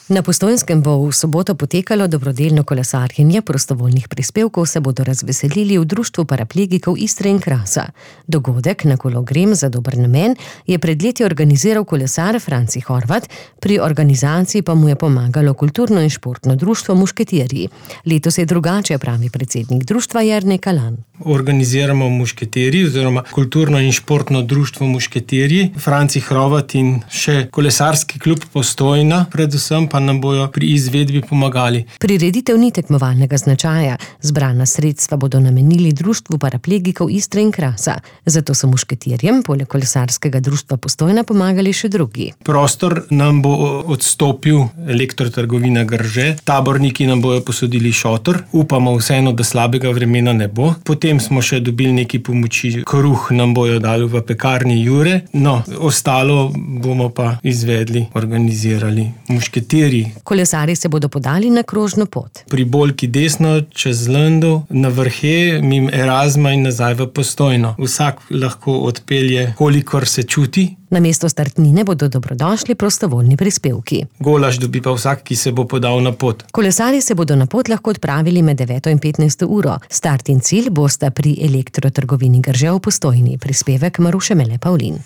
Na Postojnskem bo v soboto potekalo dobrodelno kolesarjenje, prostovoljnih prispevkov se bodo razveselili v Društvu paraplegikov Istre in Krasa. Dogodek Na kolo grem za dober namen je pred leti organiziral kolesar Franci Horvat, pri organizaciji pa mu je pomagalo kulturno in športno društvo Mušketirji. Letos je drugače, pravi predsednik društva Jernej Kalan. Organiziramo Mušketirji oziroma kulturno in športno društvo Mušketirji, Franci Horvat in še kolesarski klub Postojna, predvsem pa nam bojo pri izvedbi pomagali. Prireditev ni tekmovalnega značaja, zbrana sredstva bodo namenili Društvu paraplegikov Istre in Krasa. Zato so Mušketirjem poleg kolesarskega društva Postojna pomagali še drugi. Prostor nam bo odstopil Elektrotrgovina Grže, taborniki nam bojo posodili šotor, upamo vseeno, da slabega vremena ne bo. Potem smo še dobili neki pomoči, kruh nam bojo dali v pekarni Jure, ostalo bomo pa izvedli, organizirali Mušketirji. Kolesarji se bodo podali na krožno pot. Pri Bolki desno, čez Lendov, na Vrhe, mimo Erasma in nazaj v Postojno. Vsak lahko odpelje, kolikor se čuti. Namesto startnine bodo dobrodošli prostovoljni prispevki. Golaž dobi pa vsak, ki se bo podal na pot. Kolesarji se bodo na pot lahko odpravili med 9 in 15 uro. Start in cilj bosta pri Elektrotrgovini Grže v Postojni. Prispevek Maruše Mele Pavlin.